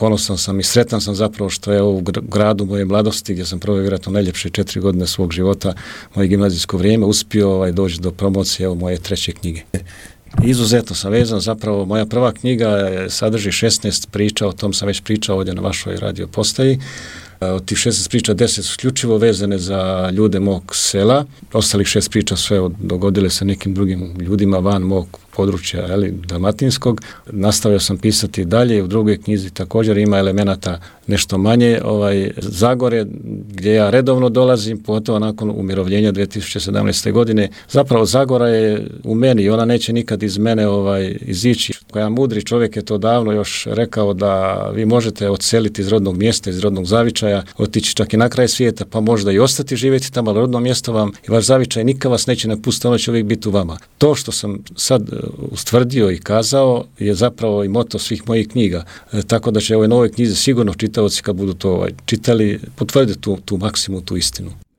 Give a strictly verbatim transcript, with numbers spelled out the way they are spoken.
ponosan sam i sretan sam zapravo što je u gradu moje mladosti, gdje sam proveo vjerojatno najljepše četiri godine svog života, moje gimnazijsko vrijeme, uspio ovaj, doći do promocije evo, moje treće knjige. Izuzetno sam vezan, zapravo moja prva knjiga sadrži šesnaest priča, o tom sam već pričao ovdje na vašoj radio postaji. Od tih šesnaest priča deset su isključivo vezane za ljude mog sela, ostalih šest priča sve dogodile se nekim drugim ljudima van mog područja, ali dalmatinskog. Nastavio sam pisati dalje, u drugoj knjizi također ima elemenata nešto manje ovaj, Zagore, gdje ja redovno dolazim, pogotovo nakon umirovljenja dvije tisuće sedamnaeste. godine. Zapravo Zagora je u meni i ona neće nikad iz mene ovaj, izići. Koja mudri čovjek je to davno još rekao da vi možete odseliti iz rodnog mjesta, iz rodnog zavičaja, otići čak i na kraj svijeta, pa možda i ostati živjeti tamo, ali rodno mjesto vam i vaš zavičaj nikad vas neće napustiti, ono će uvijek biti u vama. To što sam sad ustvrdio i kazao je zapravo i moto svih mojih knjiga. E, tako da će u ovoj novoj knjizi sigurno čitaoci kad budu to ovaj, čitali potvrditi tu, tu maksimu, tu istinu.